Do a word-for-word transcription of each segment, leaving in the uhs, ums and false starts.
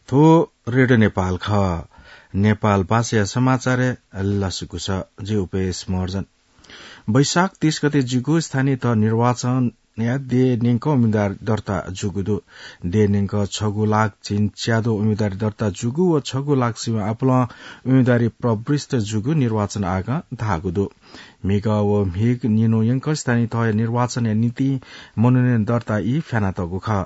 थ्व रेडियो नेपाल खः। नेपाल भाषाया समाचारय् लसकुस। जि उपेश महर्जन। वैशाख तीस गते जूगु स्थानीय तह निर्वाचनया देय् न्यंकं उम्मेदवारी दर्ता जूगु दु। देय् न्यंकं छगू लाख झिंच्यादँ उम्मेदवारी दर्ता जूगु व छगू लाख सिबें आपालं उम्मेदवारी प्रविष्ट जूगु निर्वाचन आयोगं धाःगु दु। म्हिगः व म्हिगः निन्हु यंकं स्थानीय तहया निर्वाचनया निंतिं मनोनयन दर्ता ई फ्यानातःगु खः।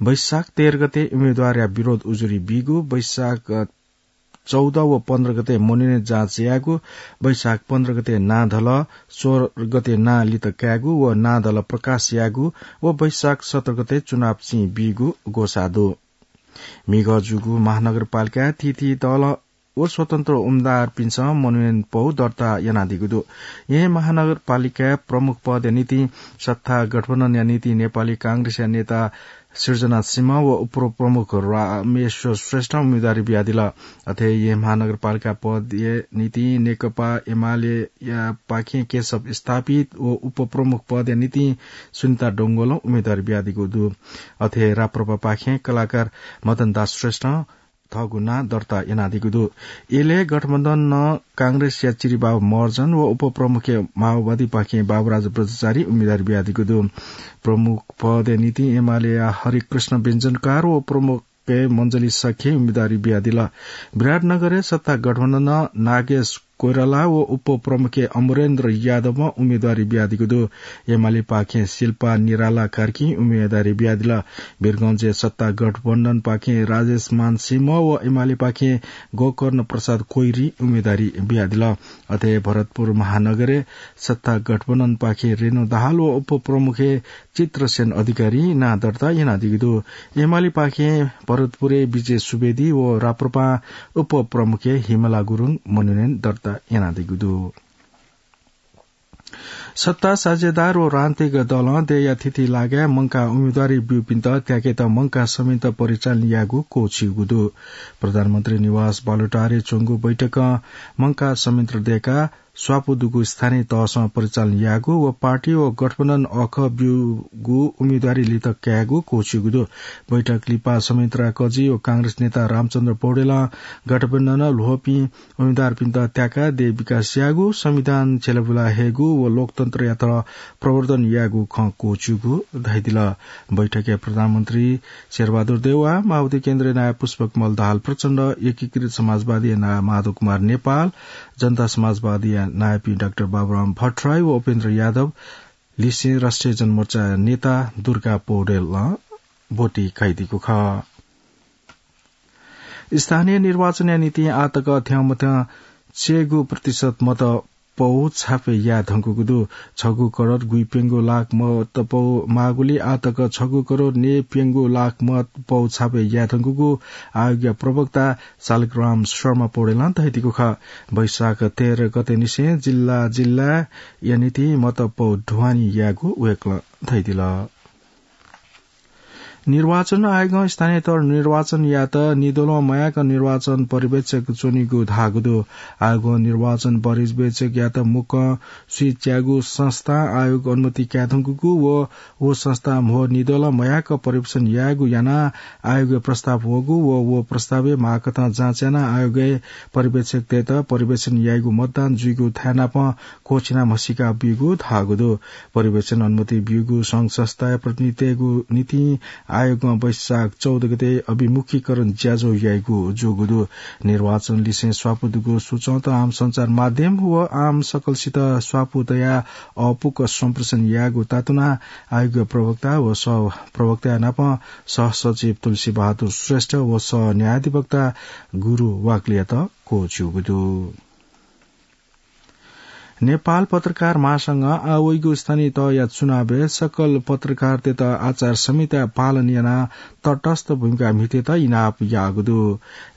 वैशाख तेह्र गते उम्मेदवारया विरोध उजुरी बीगु, वैशाख चौध व पन्ध्र गते मनोनयन जाँच यायेगु, वैशाख पन्ध्र गते नां धल, सोह्र गते नां लित कायेगु व नां धल प्रकाश यायेगु व वैशाख सत्र गते चुनाव चिं बीगु ग्वसाः दु। म्हिगः जूगु महानगरपालिकाय् थीथी दल व स्वतन्त्र उम्मेदवारपिन्सं मनोनयन पौ दर्ता यानादीगु दु। येँ महानगरपालिकाय् प्रमुख पदया निंतिं सत्ता गठबन्धनया निंतिं नेपाली कांग्रेसया नेता सृजना सिंह व उपप्रमुख रामेश्वर श्रेष्ठं उम्मेदवारी बियादिल। अथे येँ महानगरपालिका पदया निंतिं नेकपा एमालेया पाखें केशव स्थापित व उपप्रमुख पदया निंतिं सुनिता डोंगोलं उम्मेदवारी बियादीगु दु। अथे राप्रपा पाखें कलाकार मदन दास श्रेष्ठं थःगु नां दर्ता यानादीगु दु। एलए गठबन्धनं कांग्रेसया चिरिबाबु महर्जन व उपप्रमुखय् माओवादीपाखें बाबुराज ब्रजचारी उम्मेदवारी बियादीगु दु। प्रमुख पदया निंतिं एमालेया हरिकृष्ण व्यञ्जनकार व प्रमुखय् मञ्जली शाक्यं उम्मेदवारी बियादिल। विराटनगरय् सत्ता गठबन्धनं नागेश कोइराला व उपप्रमुखय् अमरेन्द्र यादवं उम्मेदवारी बियादीगु दु। एमालेपाखें शिल्पा निराला कार्कीं उम्मेदवारी बियादिल। वीरगंजय् सत्ता गठबन्धनपाखें राजेशमान सिंह व एमालेपाखें गोकर्ण प्रसाद कोइरालां उम्मेदवारी बियादिल। अथे भरतपुर महानगरय् सत्ता गठबन्धनपाखें रेणु दाहाल व उपप्रमुखय् चित्रसेन अधिकारीं नां दर्ता यानादीगु दु। एमालेपाखें भरतपुरय् विजय सुवेदी व राप्रपां उपप्रमुखय् हिमला गुरुङ मनोनयन दर्ता यानादीगु दु। सत्ता साझेदार व राजनीतिक दलं देय्‌या थीथी लागाय् मंकाः उम्मेदवारी ब्यूपिन्त त्याकेत मंकाः संयन्त्र परिचालन यायेगु क्वःछिउगु दु। प्रधानमन्त्री निवास बालुटारय् च्वंगु बैठकं मंकाः संयन्त्र दय्‌काः स्वापू दुगु स्थानीय तहसं परिचालन यायेगु व पार्टी व गठबन्धन अःखः ब्यूगु उम्मेदवारी लित कायेगु क्वःछिउगु दु। बैठक लिपा संयन्त्रया कजि व कांग्रेस नेता रामचन्द्र पौडेलं गठबन्धनं ल्ह्वःपिं उम्मेदवारपिन्त त्याकाः देय् विकास यायेगु, संविधान छ्यलाबुला हयेगु व लोकतन्त्रयात प्रवर्धन यायेगु खँ क्वःछिउगु धयादिल। बैठकय् प्रधानमन्त्री शेरबहादुर देउवा, माओवादी केन्द्रीय नायः पुष्पकमल दाहाल प्रचण्ड, एकीकृत समाजवादीया नायः माधव कुमार नेपाल, जनता समाजवादीया नायःपिं डाक्टर बाबुराम भट्टराई व उपेन्द्र यादव लिसें राष्ट्रिय जनमोर्चा नेता दुर्गा पौडेलं ब्वति कयादीगु खः। स्थानीय निर्वाचनया निंतिं आःतक थ्यंमथ्यं छयेगू प्रतिशत मत पौ छापे याये धुंकूगु दु। छगू करोड गुइप्यंगू लाख मत पौ माःगुलिं आःतक छगू करोड नयेप्यंगू लाख मत पौ छापे याये धुंकूगु आयोगया प्रवक्ता शालिग्राम शर्मा पौडेलं धयादीगु खः। वैशाख तेह्र गते निसें जिल्ला जिल्लाया निंतिं मत पौ ढुवानी यायेगु वय्‌कलं धयादिल। निर्वाचन आयोगं स्थानीय तह निर्वाचन यायेत निदोलं मयाक निर्वाचन पर्यवेक्षक च्वनीगु धाःगु दु। आयोगं निर्वाचन पर्यवेक्षकयात मुक्कं स्वीच्याःगु संस्थां आयोग अनुमति काये धुंकूगु व व संस्थां म्हो निदोलं मयाक पर्यवेक्षण यायेगु यानाः आयोगय् प्रस्ताव वःगु व व प्रस्तावय् माःकथं जाँच यानाः आयोगय् पर्यवेक्षकतय्‌त पर्यवेक्षण याइगु मतदान जुइगु थाय् नापं क्वःछिना म्हसीका ब्यूगु धाःगु दु। पर्यवेक्षण अनुमति ब्यूगु संघ संस्थाया प्रतिनिधितय्‌गु निंतिं आयोगं वैशाख चौध गते अभिमुखीकरण ज्याझ्वः याइगु जूगु दु। निर्वाचन लिसें स्वापू दुगु सूचंत आम सञ्चार माध्यम व आम सकलसित स्वापू तयाः अःपुक सम्प्रेषण यायेगु तातुनाः आयोगया प्रवक्ता व सहप्रवक्ताया नापं सहसचिव तुलसी बहादुर श्रेष्ठ व सहन्यायाधिवक्ता गुरु वाग्लेयात क्वःछिउगु दु। नेपाल पत्रकार महासंघं आः वइगु स्थानीय तहया चुनावय् सकल पत्रकारतय्‌त आचार संहिता पालन यानाः तटस्थ भूमिका म्हितेत इनाप याःगु दु।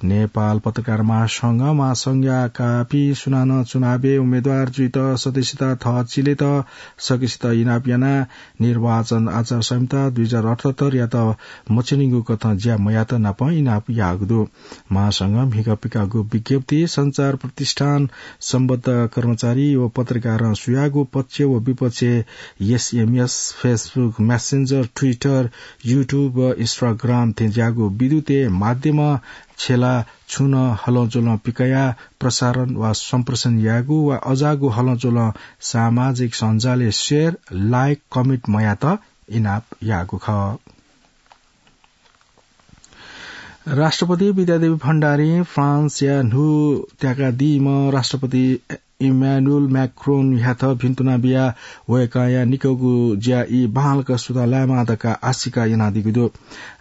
नेपाल पत्रकार महासंघं महासंघया काःपिं सुनानं चुनावय् उम्मेदवार जुइत सदस्यता थः चिलेत सकसित इनाप यानाः निर्वाचन आचार संहिता दुई हजार अठहत्तरयात मछिनिगु कथं ज्या मयात नापं इनाप याःगु दु। महासंघं म्हिगः पिकाःगु विज्ञप्ति सञ्चार प्रतिष्ठान सम्बद्ध कर्मचारी व पत्रकारं सुयागु पक्ष व विपक्ष SMS, Facebook Messenger, Twitter, YouTube व Instagram थें ज्याःगु विद्युतीय माध्यमं छेला छुं नं हलंज्वलं पिकयाः प्रसारण वा सम्प्रेषण यायेगु वा अज्याःगु हलंज्वलं सामाजिक सञ्जालय् share, like, comment मयात इनाप याःगु खः। राष्ट्रपति विद्यादेवी भण्डारीं फ्रान्सया न्हू त्याकादीम्ह राष्ट्रपति इम्यानुएल म्याक्रोनयात भिन्तुना बियाः वय्कःया निकःगु ज्या ई बांलाक सुता लायेमा धकाः आशिका यानादीगु दु।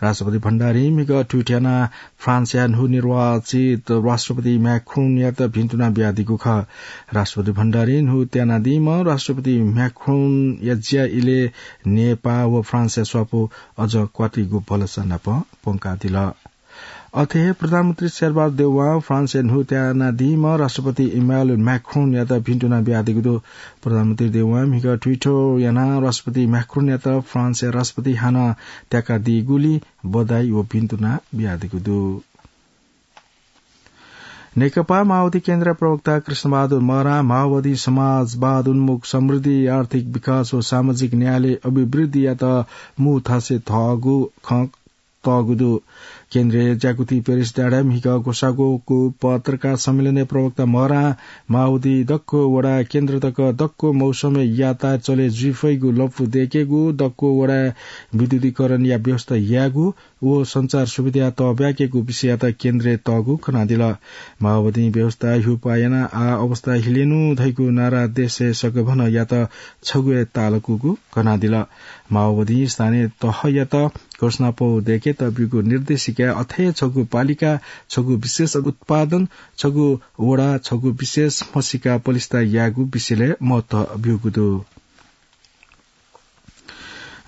राष्ट्रपति भण्डारीं म्हिगः tweet यानाः फ्रान्सया न्हू निर्वाचित राष्ट्रपति म्याक्रोनयात भिन्तुना बियादीगु खः। राष्ट्रपति भण्डारीं न्हू त्यानादीम्ह राष्ट्रपति म्याक्रोनया ज्या इलय् नेपाः व फ्रान्सया स्वापू अझ क्वातिगु भलसा नाप प्वंकादिल। अथे हे प्रधानमन्त्री शेरबहादुर देउवां फ्रान्सया न्हू त्यानादीम्ह राष्ट्रपति इम्यानुएल म्याक्रोनयात भिन्तुना बियादीगु दु। प्रधानमन्त्री देउवां म्हिगः Twitter यानाः राष्ट्रपति म्याक्रोनयात फ्रान्सया राष्ट्रपति हानं त्याकादीगुलिं बधाई व भिन्तुना बियादीगु दु। नेकपा माओवादी केन्द्रया प्रवक्ता कृष्णबहादुर महरां माओवादी समाजवाद उन्मुख समृद्धि, आर्थिक विकास व सामाजिक न्यायलय् अभिवृद्धियात मू थासय् थःगु खँ तःगु दु। केन्द्रय् ज्याकुथि प्यारिस डाँडाय् म्हिगः ग्वसाःगु पत्रकार सम्मेलनय् प्रवक्ता महरां माओवादी दक्व वडा केन्द्र तक दक्व मौसमय् यातायात चले जुइफइगु लँपु दय्केगु, दक्व वडाय् विद्युतीकरणया व्यवस्था यायेगु व सञ्चार सुविधा तःब्याकेगु विषययात केन्द्रय् तःगु कनादिल। माओवादीं व्यवस्था ह्यूपाः यानाः आः अवस्था हिलेनु धइगु नारा देशय् सकभनयात छगू हे तालकूगु कनादिल। माओवादीं स्थानीय तहयात घोषणापौ दय्केत ब्यूगु निर्देशिकाय् अथे छगू पालिका, छगू विशेष उत्पादन, छगू वडा, छगू विशेष म्हसीका पलिस्था यायेगु विषयलय् महत्व ब्यूगु दु।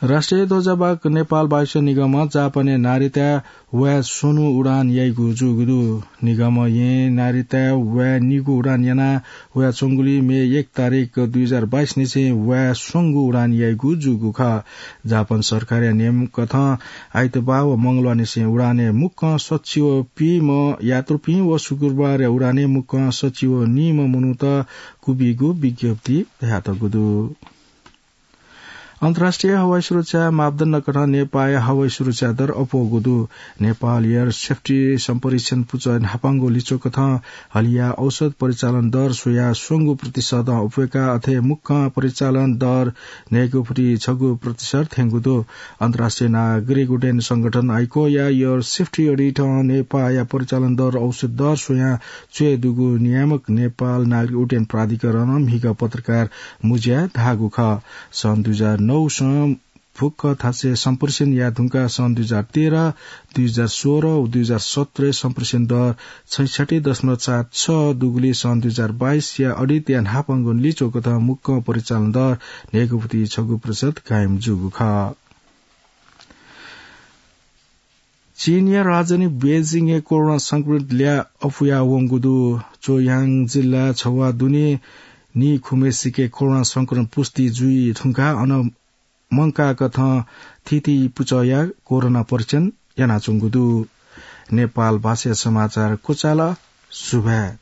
राष्ट्रिय ध्वजावाहक नेपाल वायुसेवा निगमं जापानय् नारिताय् वाय् स्वन्हु उडान याइगु जूगु दु। निगमं यें नारिताय् वाय् निगू उडान यानाः वयाच्वंगुलिं मे एक तारिख दुई हजार बाइस निसें वाय् स्वंगू उडान याइगु जूगु खः। जापान सरकारया नियम कथं आइतबाः व मंगलबाः निसें उडानय् मुक्कं सच्छि व पीम्ह यात्रुपिं व शुक्रबारया उडानय् मुक्कं सच्छि व नीम्ह मनूत क्वबिइगु विज्ञप्ति धयातःगु दु। अन्तर्राष्ट्रिय हवाई सुरक्षा मापदण्ड कथं नेपाःया हवाई सुरक्षा दर अप्वःगु दु। नेपाल एयर सेफ्टी सम्प्रेक्षण पुचः न्हापांगु लिच्वः कथं हलिया औसत परिचालन दर स्वयाः स्वंगू प्रतिशतं अप्वय्काः अथे मुक्कं परिचालन दर न्हय्गू फुति छगू प्रतिशत थ्यंगु दु। अन्तर्राष्ट्रिय नागरिक उड्डयन संगठन आइकोया एयर सेफ्टी अडिटं नेपाःया परिचालन दर औसत दर स्वयाः च्वय् दुगु नियामक नेपाल नागरिक उड्डयन प्राधिकरणं म्हिगः पत्रकार मुँज्याय् धाःगु खः। सन् दुई हजार नौ सं फुक्क थासय् सम्प्रेषण याये धुंकाः सन् दुई हजार तेह्र, दुई हजार सोह्र व दुई हजार सत्रय् सम्प्रेषण दर छैसट्ठी दशमलव चार छ दुगुलिं सन् दुई हजार बाइसया अडिटया न्हापांगु लिच्वः कथं मुक्कं परिचालन दर न्हय्गू फुति छगू प्रतिशत कायम जूगु खः। चीनया राजधानी बेजिङय् कोरोना संक्रमित ल्याः अप्वया वंगु दु। चोयाङ जिल्ला छवाः दुने नीखुम्हेसिके कोरोना संक्रमण पुष्टि जुइ धुंकाः अन मंकाः कथं थीथी पुचःया कोरोना परीक्षण यानाच्वंगु दु। नेपाल भाषाया समाचार क्वचाल। सुभाय्।